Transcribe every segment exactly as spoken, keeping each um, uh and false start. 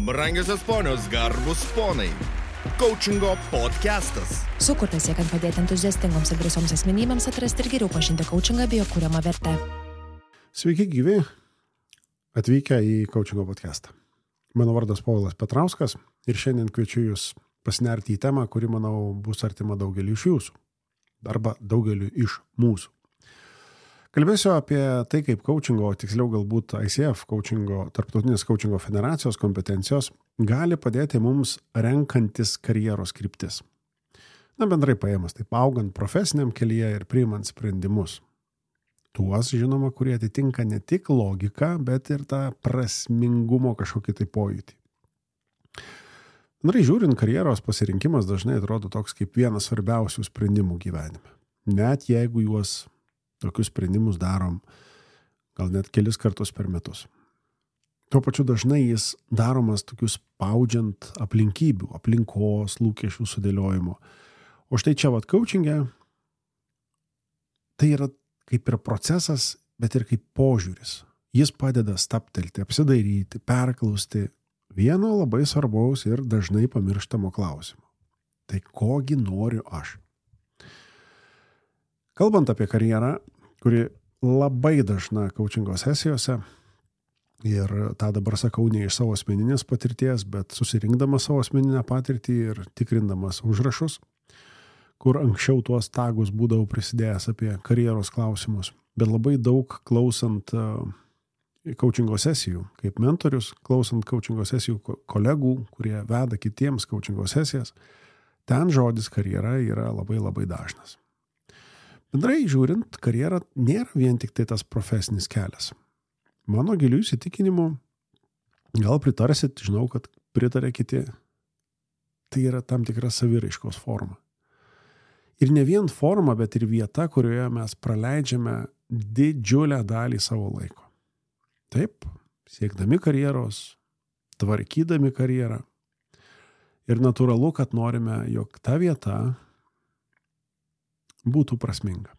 Brangiosios ponios, garbus ponai. Coachingo podcastas. Sukurtas siekiant padėti entuziastingoms ir drąsioms asmenybėms atrasti ir geriau pažinti coachingą bei jo kuriamą vertę. Sveiki gyvi, atvykę į Coachingo podcastą. Mano vardas Povilas Petrauskas ir šiandien kviečiu jūs pasinerti į temą, kuri, manau, bus artima daugeliu iš jūsų arba daugeliu iš mūsų. Kalbėsiu apie tai, kaip coachingo, tiksliau galbūt I C F, coachingo, tarptautinės coachingo federacijos kompetencijos gali padėti mums renkantis karjeros kryptis. Na, bendrai paėmus, taip augant profesiniam kelyje ir priimant sprendimus. Tuos, žinoma, kurie atitinka ne tik logiką, bet ir tą prasmingumo kažkokį tai pojūtį. Bendrai žiūrint, karjeros pasirinkimas dažnai atrodo toks kaip vienas svarbiausių sprendimų gyvenime. Net jeigu juos tokius sprendimus darom gal net kelis kartus per metus. Tuo pačiu dažnai jis daromas tokius spaudžiant aplinkybių, aplinkos, lūkesčių sudėliojimo. O štai čia vat coachinge tai yra kaip ir procesas, bet ir kaip požiūris. Jis padeda stabtelti, apsidairyti, perklausti vieno labai svarbaus ir dažnai pamirštamo klausimo. Tai kogi noriu aš? Kalbant apie karjerą, kuri labai dažna coachingo sesijose, ir tą dabar sakau ne iš savo asmeninės patirties, bet susirinkdamas savo asmeninę patirtį ir tikrindamas užrašus, kur anksčiau tuos tagus būdavau prisidėjęs apie karjeros klausimus, bet labai daug klausant coachingo sesijų, kaip mentorius, klausant coachingo sesijų kolegų, kurie veda kitiems coachingo sesijas, ten žodis karjera yra labai labai dažnas. Bendrai žiūrint, karjera nėra vien tik tai tas profesinis kelias. Mano gilių įsitikinimu, gal pritarsit, žinau, kad pritarė kiti, tai yra tam tikra saviraiškos forma. Ir ne vien forma, bet ir vieta, kurioje mes praleidžiame didžiulę dalį savo laiko. Taip, siekdami karjeros, tvarkydami karjerą. Ir natūralu, kad norime, jog ta vieta būtų prasminga.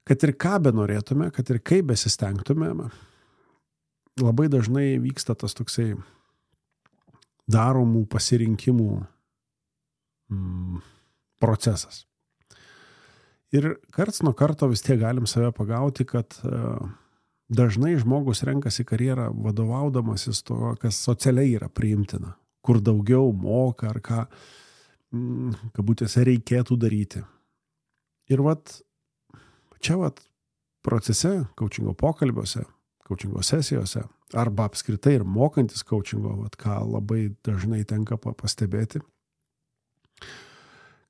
Kad ir ką be norėtume, kad ir kaip besistengtume, labai dažnai vyksta tas toksai daromų pasirinkimų mm, procesas. Ir karts nuo karto vis tiek galim save pagauti, kad uh, dažnai žmogus renkasi karjerą vadovaudamasis to, kas socialiai yra priimtina, kur daugiau moka ar ką kabutėse reikėtų daryti. Ir vat, čia vat procese, coachingo pokalbiuose, coachingo sesijose, arba apskritai ir mokantis coachingo, vat ką labai dažnai tenka pastebėti,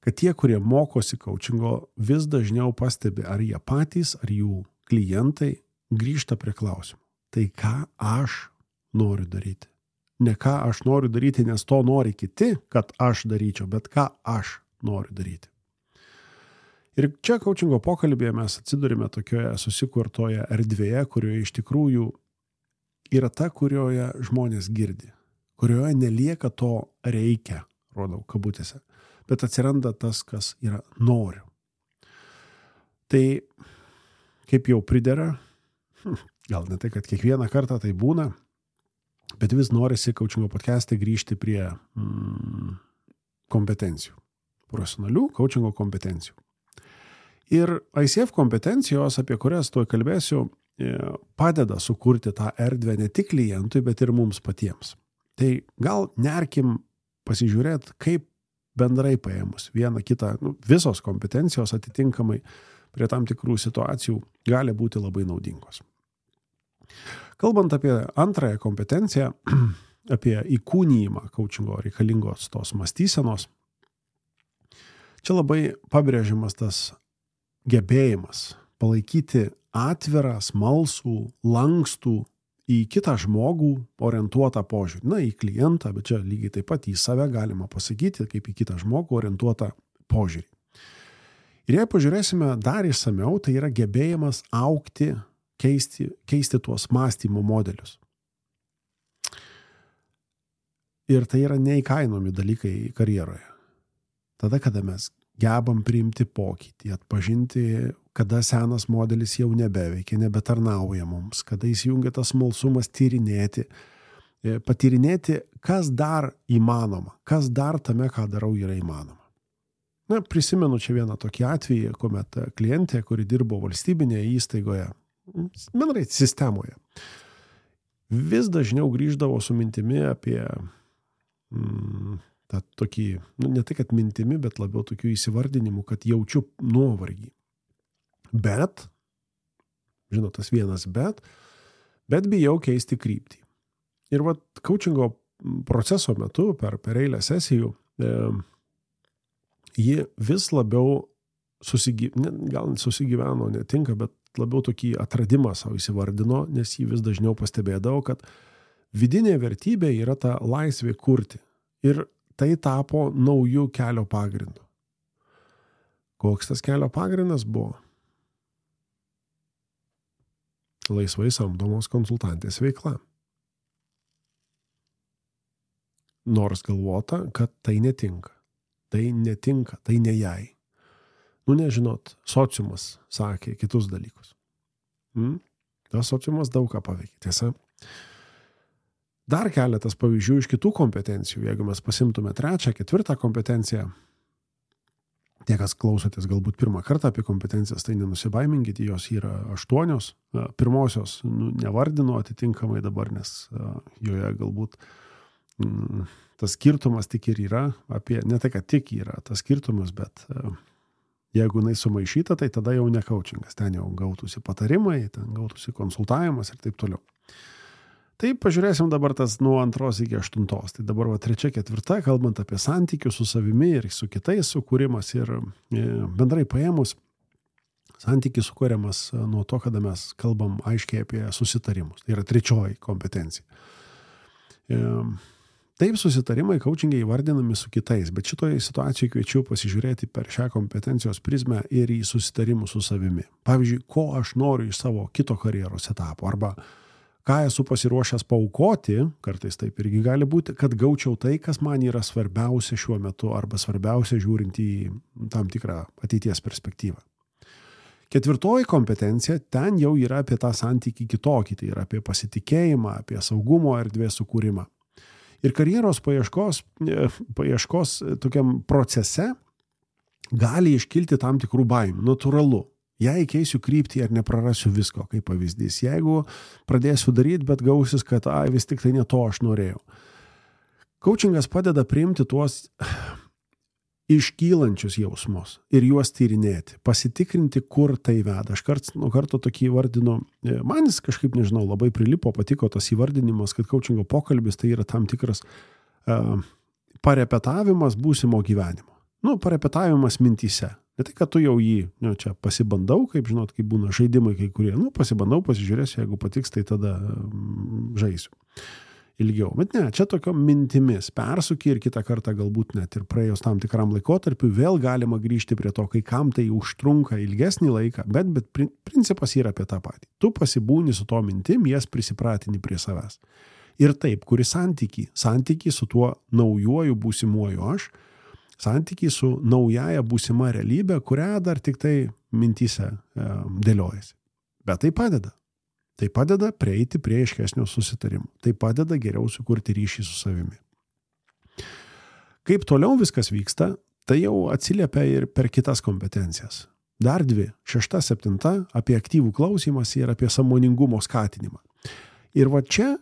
kad tie, kurie mokosi coachingo, vis dažniau pastebi, ar jie patys, ar jų klientai grįžta prie klausimų. Tai ką aš noriu daryti? Ne ką aš noriu daryti, nes to nori kiti, kad aš daryčiau, bet ką aš noriu daryti. Ir čia coachingo pokalbėje mes atsidurime tokioje susikurtoje erdvėje, kurioje iš tikrųjų yra ta, kurioje žmonės girdi, kurioje nelieka to reikia, rodau kabutėse, bet atsiranda tas, kas yra noriu. Tai kaip jau pridera, gal ne tai, kad kiekvieną kartą tai būna, bet vis norisi coachingo podcast'e grįžti prie mm, kompetencijų, profesionalių coachingo kompetencijų. Ir I C F kompetencijos, apie kurias tuoj kalbėsiu, padeda sukurti tą erdvę ne tik klientui, bet ir mums patiems. Tai gal nerkim pasižiūrėti, kaip bendrai paėmus vieną kitą, nu, visos kompetencijos atitinkamai prie tam tikrų situacijų gali būti labai naudingos. Kalbant apie antrąją kompetenciją, apie įkūnijimą coachingo reikalingos tos mąstysenos, čia labai pabrėžiamas tas gebėjimas palaikyti atvirą, smalsų, lankstų į kitą žmogų orientuotą požiūrį. Na, į klientą, bet čia lygiai taip pat į save galima pasakyti, kaip į kitą žmogų orientuotą požiūrį. Ir jei pažiūrėsime dar išsamiau, tai yra gebėjimas augti, Keisti, keisti tuos mąstymo modelius. Ir tai yra neįkainomi dalykai karjeroje. Tada, kada mes gebam priimti pokytį, atpažinti, kada senas modelis jau nebeveikia, nebetarnauja mums, kada įsijungia tas smalsumas tyrinėti, patyrinėti, kas dar įmanoma, kas dar tame, ką darau, yra įmanoma. Na, prisimenu čia vieną tokį atvejį, kuomet klientė, kuri dirbo valstybinėje įstaigoje, bendrai sistemoje, vis dažniau grįždavo su mintimi apie mm, tą tokį, nu, ne tai, kad mintimi, bet labiau tokių įsivardinimų, kad jaučiu nuovargį. Bet, žinot, tas vienas bet, bet bijau keisti kryptį. Ir vat coachingo proceso metu, per, per eilę sesijų, e, ji vis labiau susigyveno, gal susigyveno, netinka, bet labiau tokį atradimą savo įsivardino, nes jį vis dažniau pastebėdavo, kad vidinė vertybė yra ta laisvė kurti. Ir tai tapo naujų kelio pagrindu. Koks tas kelio pagrindas buvo? Laisvai samdomos konsultantės veikla. Nors galvota, kad tai netinka. Tai netinka, tai ne jai. Nu, nežinot, sociumas sakė kitus dalykus. Hmm? Tas sociumas daug ką paveikė, tiesa. Dar keletas pavyzdžių iš kitų kompetencijų. Jeigu mes pasimtume trečią, ketvirtą kompetenciją, tie, kas klausotės galbūt pirmą kartą apie kompetencijas, tai nenusibaiminkite, jos yra aštuonios. Pirmosios nu, nevardinu atitinkamai dabar, nes joje galbūt mm, tas skirtumas tik ir yra, apie, ne tai, kad tik yra tas skirtumas, bet jeigu jinai sumaišyta, tai tada jau ne coachingas, ten jau gautųsi patarimai, ten gautųsi konsultavimas ir taip toliau. Tai pažiūrėsim dabar tas nuo antros iki aštuntos. Tai dabar va trečia, ketvirta, kalbant apie santykius su savimi ir su kitais sukūrimas ir bendrai paėmus, santykis sukūriamas nuo to, kada mes kalbam aiškiai apie susitarimus. Tai yra trečioji kompetencija. Taip susitarimai coachingai įvardinami su kitais, bet šitoje situacijoje kviečiu pasižiūrėti per šią kompetencijos prizmę ir į susitarimus su savimi. Pavyzdžiui, ko aš noriu iš savo kito karjeros etapo, arba ką esu pasiruošęs paaukoti, kartais taip irgi gali būti, kad gaučiau tai, kas man yra svarbiausia šiuo metu, arba svarbiausia žiūrint į tam tikrą ateities perspektyvą. Ketvirtoji kompetencija, ten jau yra apie tą santykį kitokį, tai yra apie pasitikėjimą, apie saugumo erdvės sukūrimą. Ir karjeros paieškos, paieškos tokiam procese gali iškilti tam tikrų baimių, natūralu. Jei keisiu kryptį ar neprarasiu visko, kaip pavyzdys. Jeigu pradėsiu daryti, bet gausis, kad ai, vis tik tai ne to aš norėjau. Coachingas padeda priimti tuos iškylančius jausmus ir juos tyrinėti, pasitikrinti, kur tai veda. Aš karts nuo karto tokį įvardinu, man jis kažkaip, nežinau, labai prilipo, patiko tas įvardinimas, kad coachingo pokalbis tai yra tam tikras uh, parepetavimas būsimo gyvenimo. Nu, parepetavimas mintyse. Ne tai, kad tu jau jį, nu, čia pasibandau, kaip žinot, kaip būna žaidimai kai kurie, nu, pasibandau, pasižiūrėsiu, jeigu patiks, tai tada um, žaisiu ilgiau. Bet ne, čia tokio mintimis persuki ir kitą kartą galbūt net ir praėjus tam tikram laikotarpiu vėl galima grįžti prie to, kai kam tai užtrunka ilgesnį laiką, bet, bet principas yra apie tą patį. Tu pasibūni su to mintim, jas prisipratini prie savęs. Ir taip, kuri santykį, santykį su tuo naujuoju būsimuoju aš, santykį su naujaja būsima realybė, kurią dar tik tai mintyse e, dėliojasi. Bet tai padeda. Tai padeda prieiti prie aiškesnio susitarimų. Tai padeda geriau sukurti ryšį su savimi. Kaip toliau viskas vyksta, tai jau atsiliepia ir per kitas kompetencijas. Dar dvi, šešta, septinta, apie aktyvų klausymąsi ir apie sąmoningumo skatinimą. Ir va čia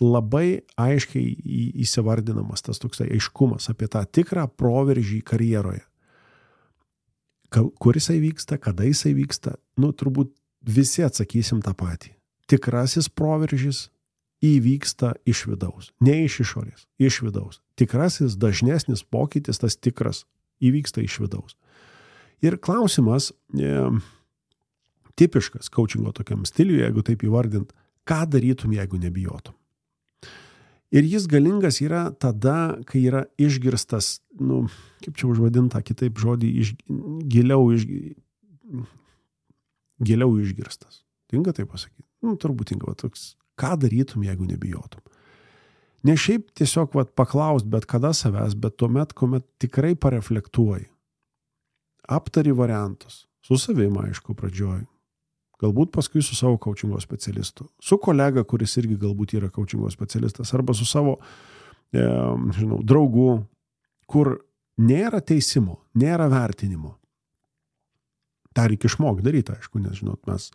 labai aiškiai įsivardinamas tas toksai aiškumas apie tą tikrą proveržį karjeroje. Kur jisai vyksta, kada jisai vyksta, nu turbūt visi atsakysim tą patį. Tikrasis proveržis įvyksta iš vidaus, ne iš išorės, iš vidaus. Tikrasis, dažnesnis pokytis, tas tikras, įvyksta iš vidaus. Ir klausimas, e, tipiškas coachingo tokiam stiliui, jeigu taip įvardint, ką darytum, jeigu nebijotum. Ir jis galingas yra tada, kai yra išgirstas, nu, kaip čia užvadinta, kitaip žodį, iš, giliau, iš, giliau išgirstas. Tinka tai pasakyti? Nu, turbūt tinka, va, toks, ką darytum, jeigu nebijotum. Ne šiaip tiesiog va, paklaust bet kada savęs, bet tuomet, kuomet tikrai pareflektuoji. Aptari variantus. Su savim, aišku, pradžioj. galbūt paskui su savo coachingo specialistu, su kolega, kuris irgi galbūt yra coachingo specialistas, arba su savo, e, žinau, draugu, kur nėra teisimo, nėra vertinimo. tą reikia išmokti daryti, aišku, nes, žinot, mes,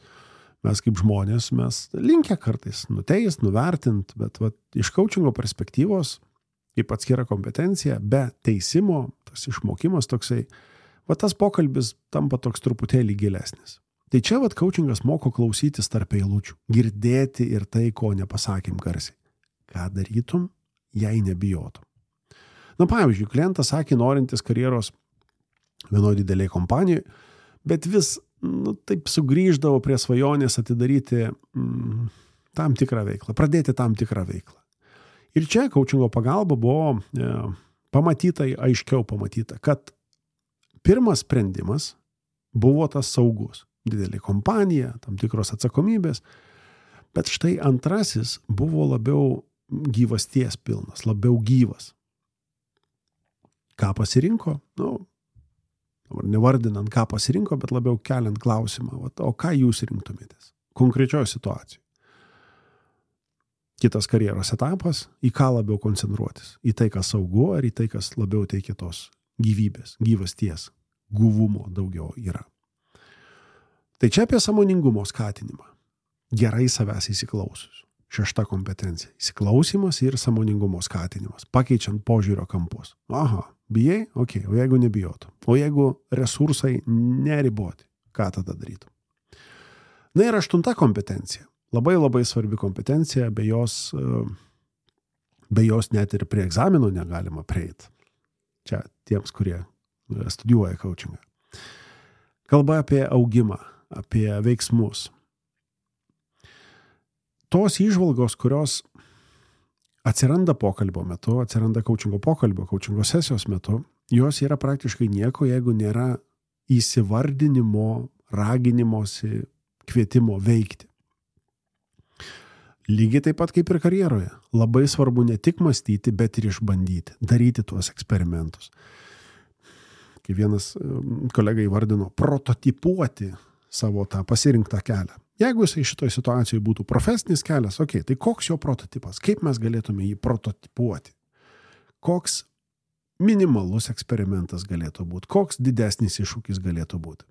mes kaip žmonės, mes linkę kartais nuteist, nuvertint, bet va, iš coachingo perspektyvos, kaip atskira kompetencija, be teisimo, tas išmokimas toksai, va tas pokalbis tampa toks truputėlį gilesnis. Tai čia va coachingas moko klausytis tarp eilučių, girdėti ir tai, ko nepasakėm garsiai. Ką darytum, jei nebijotum. Na, pavyzdžiui, klientas sakė, norintis karjeros vienoje didelėje kompanijoje, bet vis, nu, taip sugrįždavo prie svajonės atidaryti mm, tam tikrą veiklą, pradėti tam tikrą veiklą. Ir čia coachingo pagalba buvo e, pamatyta, aiškiau pamatyta, kad pirmas sprendimas buvo tas saugus. Didelė kompanija, tam tikros atsakomybės, bet štai antrasis buvo labiau gyvasties pilnas, labiau gyvas. Ką pasirinko? Nu, nevardinant, ką pasirinko, bet labiau keliant klausimą, o ką jūs rinktumėtės konkrečioje situacijoje. Kitas karjeros etapas, į ką labiau koncentruotis, į tai, kas saugu, ar į tai, kas labiau teikia tos gyvybės, gyvasties, guvumo daugiau yra. Tai čia apie sąmoningumo skatinimą. Gerai savęs įsiklausius. Šešta kompetencija. Įsiklausimas ir sąmoningumo skatinimas. Pakeičiant požiūrio kampus. Aha, bijai? Ok, o jeigu nebijotum? O jeigu resursai neriboti? Ką tada darytum? Na ir aštunta kompetencija. Labai labai svarbi kompetencija, be jos, be jos net ir prie egzamino negalima prieiti. Čia tiems, kurie studijuoja coachingą. Kalba apie augimą, apie veiksmus. Tos įžvalgos, kurios atsiranda pokalbio metu, atsiranda coachingo pokalbio, coachingo sesijos metu, jos yra praktiškai nieko, jeigu nėra įsivardinimo, raginimosi, kvietimo veikti. Lygiai taip pat kaip ir karjeroje. Labai svarbu ne tik mąstyti, bet ir išbandyti, daryti tuos eksperimentus. Kai vienas kolega įvardino, prototipuoti savo tą pasirinktą kelią. Jeigu jisai šitoje situacijoje būtų profesinis kelias, ok, tai koks jo prototipas? Kaip mes galėtume jį prototipuoti? Koks minimalus eksperimentas galėtų būti? Koks didesnis iššūkis galėtų būti?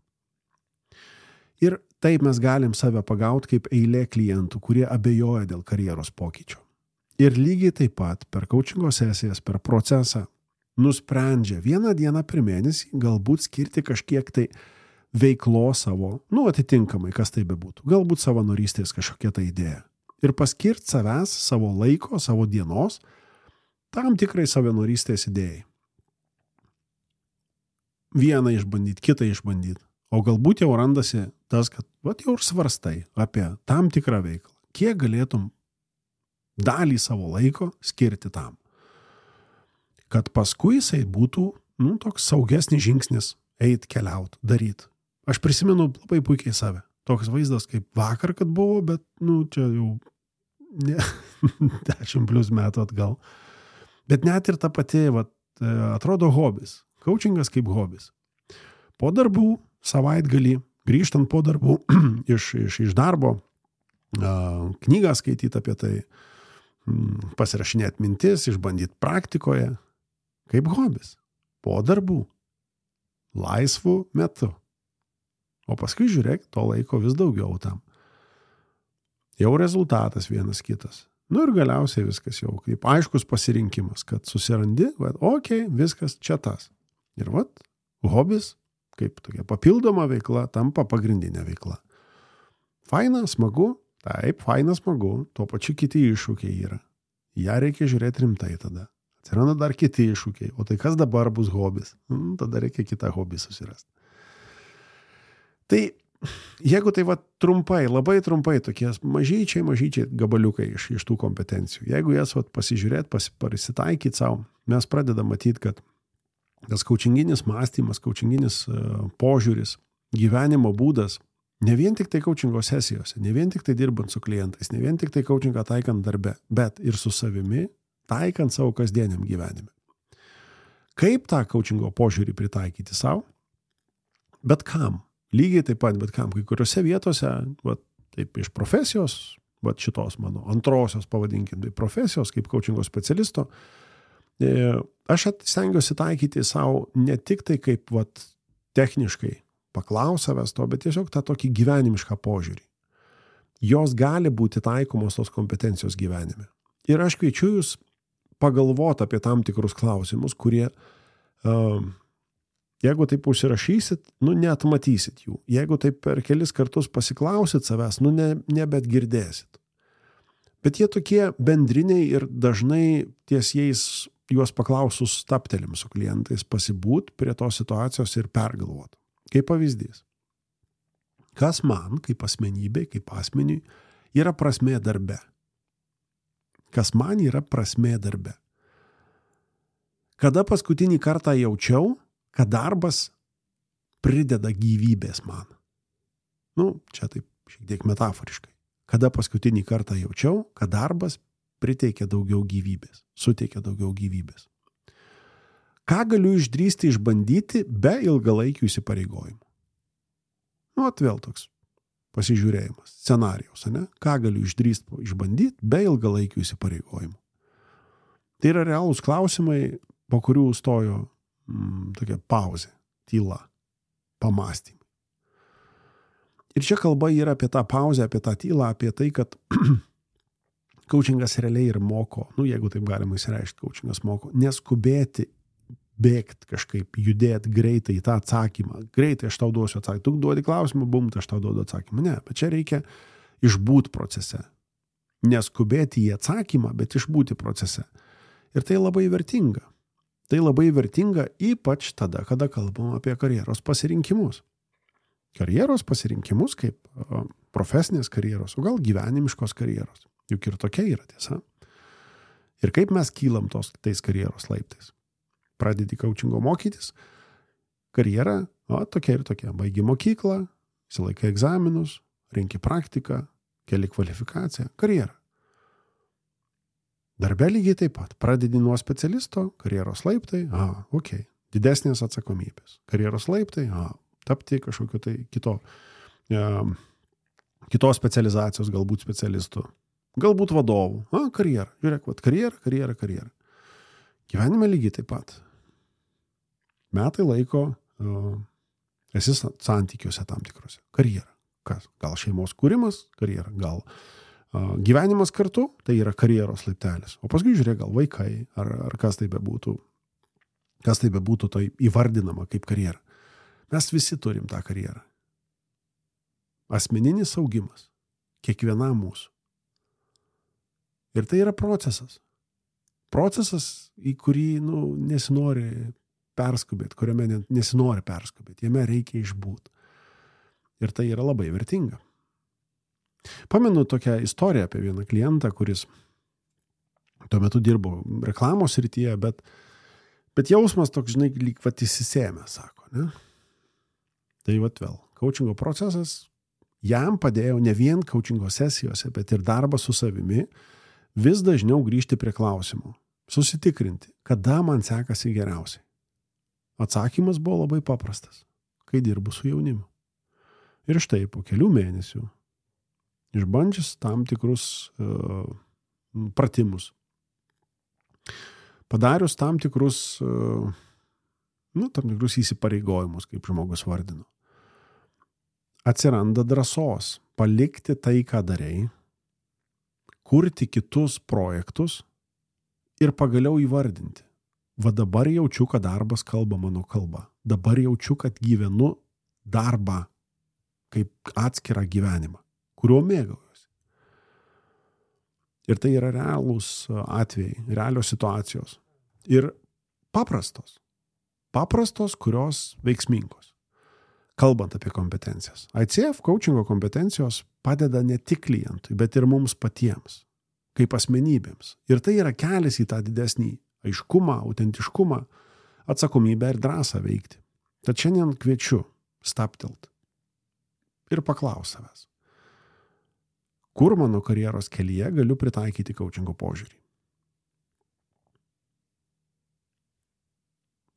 Ir taip mes galim save pagauti kaip eilė klientų, kurie abejoja dėl karjeros pokyčio. Ir lygiai taip pat per coachingo sesijas, per procesą nusprendžia vieną dieną per mėnesį galbūt skirti kažkiek tai veiklo savo, nu atitinkamai, kas tai bebūtų, galbūt savanorystės kažkokia tai idėja. Ir paskirti savęs, savo laiko, savo dienos tam tikrai savanorystės idėjai. Vieną išbandyti, kitą išbandyti. O galbūt jau randasi tas, kad vat jau ir svarstai apie tam tikrą veiklą. Kiek galėtum dalį savo laiko skirti tam? Kad paskui jisai būtų, nu, toks saugesnis žingsnis eit, keliaut, daryt. Aš prisimenu labai puikiai save. Toks vaizdas kaip vakar, kad buvo, bet, nu, čia jau ne, dešimt plus metų atgal. Bet net ir ta pati, vat, atrodo hobis. Coachingas kaip hobis. Po darbų, savaitgalį, grįžtant po darbų iš, iš, iš darbo, knygą skaityti apie tai, pasirašinėti mintis, išbandyti praktikoje, kaip hobis. Po darbų. Laisvų metu. O paskui žiūrėk, to laiko vis daugiau tam. Jau rezultatas vienas kitas. Nu ir galiausiai viskas jau kaip aiškus pasirinkimas, kad susirandi, bet okei, okay, viskas čia tas. Ir vat, hobis, kaip tokia papildoma veikla, tampa pagrindinė veikla. Faina, smagu, taip, faina, smagu, tuo pačiu kiti iššūkiai yra. Ja reikia žiūrėti rimtai tada. Atsiranda dar kiti iššūkiai. O tai kas dabar bus hobis? Hmm, tada reikia kitą hobį susirasti. Tai jeigu tai va trumpai, labai trumpai, tokie mažyčiai, mažyčiai gabaliukai iš, iš tų kompetencijų. Jeigu jas va pasižiūrėti, pasitaikyti savo, mes pradedam matyti, kad tas coachinginis mąstymas, coachinginis uh, požiūris, gyvenimo būdas, ne vien tik tai coachingo sesijose, ne vien tik tai dirbant su klientais, ne vien tik tai coachingą taikant darbe, bet ir su savimi, taikant savo kasdieniam gyvenime. Kaip tą coachingo požiūrį pritaikyti savo? Bet kam? lygiai taip pat, bet kam, kai kuriuose vietose, va, taip iš profesijos, va, šitos mano antrosios, pavadinkim, tai profesijos kaip coachingo specialisto, aš stengiuosi taikyti savo ne tik tai kaip va, techniškai paklausavęs to, bet tiesiog tą tokį gyvenimišką požiūrį. Jos gali būti taikomos tos kompetencijos gyvenime. Ir aš kviečiu jūs pagalvoti apie tam tikrus klausimus, kurie, um, jeigu taip užsirašysit, nu neatmatysit jų. Jeigu taip per kelis kartus pasiklausit savęs, nu ne, nebet girdėsit. Bet jie tokie bendriniai ir dažnai ties jais juos paklausus staptelim su klientais pasibūt prie tos situacijos ir pergalvot. Kaip pavyzdys. Kas man, kaip asmenybei, kaip asmeniui, yra prasmė darbe? Kas man yra prasmė darbe? Kada paskutinį kartą jaučiau, kad darbas prideda gyvybės man? Nu, čia taip šiek tiek metaforiškai. Kada paskutinį kartą jaučiau, kad darbas priteikia daugiau gyvybės, suteikia daugiau gyvybės. Ką galiu išdrįsti išbandyti be ilgalaikių įsipareigojimų? Nu, atvėl toks pasižiūrėjimas, scenarijaus, ne? Ką galiu išdrįsti išbandyti be ilgalaikių įsipareigojimų? Tai yra realūs klausimai, po kurių stojo mm, tokia pauzė, tyla, pamąstymai. Ir čia kalba yra apie tą pauzę, apie tą tylą, apie tai, kad coachingas realiai ir moko, nu, jeigu taip galima įsireikšti, coachingas moko, neskubėti bėgti kažkaip, judėti greitai į tą atsakymą. Greitai aš tau duosiu atsakymą. Tu duodi klausimą, bum, aš tau duodu atsakymą. Ne, bet čia reikia išbūti procese. Neskubėti į atsakymą, bet išbūti procese. Ir tai labai vertinga. Tai labai vertinga ypač tada, kada kalbam apie karjeros pasirinkimus. Karjeros pasirinkimus kaip profesinės karjeros, o gal gyvenimiškos karjeros. Juk ir tokia yra tiesa. Ir kaip mes kylam tos, tais karjeros laiptais. Pradedi coachingo mokytis, karjera, o tokia ir tokia. Baigi mokyklą, išsilaikai egzaminus, renki praktiką, keli kvalifikaciją, karjera. Darbe lygiai taip pat. Pradedi nuo specialisto, karjeros laiptai, a, okei, okay. Didesnės atsakomybės. Karjeros laiptai, a, tapti kažkokio tai kito, e, kitos specializacijos, galbūt specialistų, galbūt vadovų, a, karjera. Žiūrėk, vat, karjera, karjera, karjera. Gyvenime lygiai taip pat. Metai laiko uh, esi santykiuose tam tikrose. Karjera. Kas? Gal šeimos kūrimas, karjera. Gal uh, gyvenimas kartu, tai yra karjeros laiptelis. O paskui žiūrėk, gal vaikai, ar, ar kas tai bebūtų, kas tai bebūtų tai įvardinama kaip karjera. Mes visi turim tą karjerą. Asmeninis augimas. Kiekvienam mūsų. Ir tai yra procesas. Procesas, į kurį nu, nesinori perskubėti, kuriame nesinori perskubėti. Jame reikia išbūti. Ir tai yra labai vertinga. Pamenu tokią istoriją apie vieną klientą, kuris tuo metu dirbo reklamos srityje, bet, bet jausmas toks, žinai, lyg vat įsisėmė, sako, ne? Tai vat vėl, coachingo procesas jam padėjo ne vien coachingo sesijose, bet ir darbas su savimi, vis dažniau grįžti prie klausimų, susitikrinti, kada man sekasi geriausiai. Atsakymas buvo labai paprastas, kai dirbu su jaunimu. Ir štai po kelių mėnesių, išbandžius tam tikrus uh, pratimus, padarius tam tikrus, uh, nu, tam tikrus įsipareigojimus, kaip žmogus vardino, atsiranda drąsos palikti tai, ką darei, kurti kitus projektus ir pagaliau įvardinti. Va dabar jaučiu, kad darbas kalba mano kalba. Dabar jaučiu, kad gyvenu darbą kaip atskirą gyvenimą, kuriuo mėgaujuosi. Ir tai yra realūs atvejai, realios situacijos. Ir paprastos. Paprastos, kurios veiksmingos. Kalbant apie kompetencijas. I C F coachingo kompetencijos padeda ne tik klientui, bet ir mums patiems, kaip asmenybėms. Ir tai yra kelias į tą didesnį aiškumą, autentiškumą, atsakomybę ir drąsą veikti. Tad šiandien kviečiu staptelt ir paklaus savęs. Kur mano karjeros kelyje galiu pritaikyti coachingo požiūrį?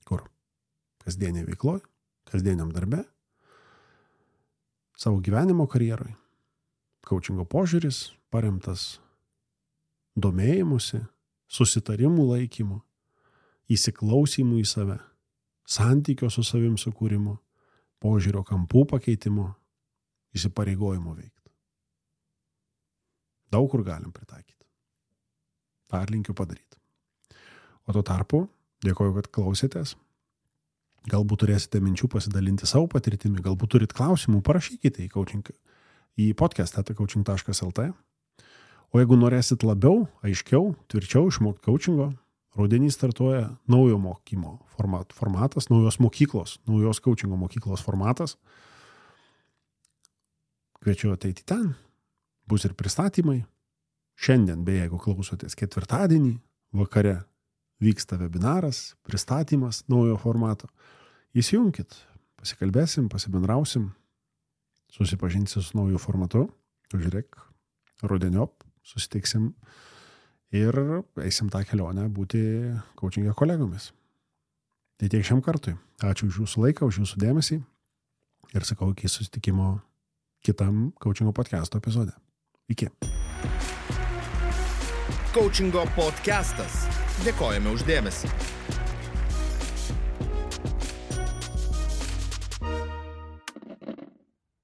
Kur? Kasdienė veikloje, kasdieniam darbe? savo gyvenimo karjeroj. Coachingo požiūris paremtas domėjimusi, susitarimų laikymu, įsiklausimu į save, santykio su savim sukūrimu, požiūrio kampų pakeitimu, įsipareigojimu veikti. Daug kur galim pritaikyti. tą linkiu padaryti. O tuo tarpu, dėkoju, kad klausėtės. Galbūt turėsite minčių pasidalinti savo patirtimi, galbūt turit klausimų, parašykite į, coaching, į podcast eta coaching taškas el te. O jeigu norėsit labiau, aiškiau, tvirčiau išmokti coachingo, rudenį startuoja naujo mokymo format, formatas, naujos mokyklos, naujos coachingo mokyklos formatas. Kviečiu ateiti ten, bus ir pristatymai. Šiandien, beje, jeigu klausotės ketvirtadienį, vakare vyksta webinaras, pristatymas naujo formato. Įsijunkit, pasikalbėsim, pasibendrausim, susipažinsim su nauju formatu, žiūrėk, rudeniop, susitiksim ir eisim tą kelionę būti coachingo kolegomis. Tai tiek šiam kartui. Ačiū už jūsų laiką, už jūsų dėmesį ir sakau iki susitikimo kitam coachingo podcasto epizode. Iki. Coachingo podcastas. Dėkojame už dėmesį.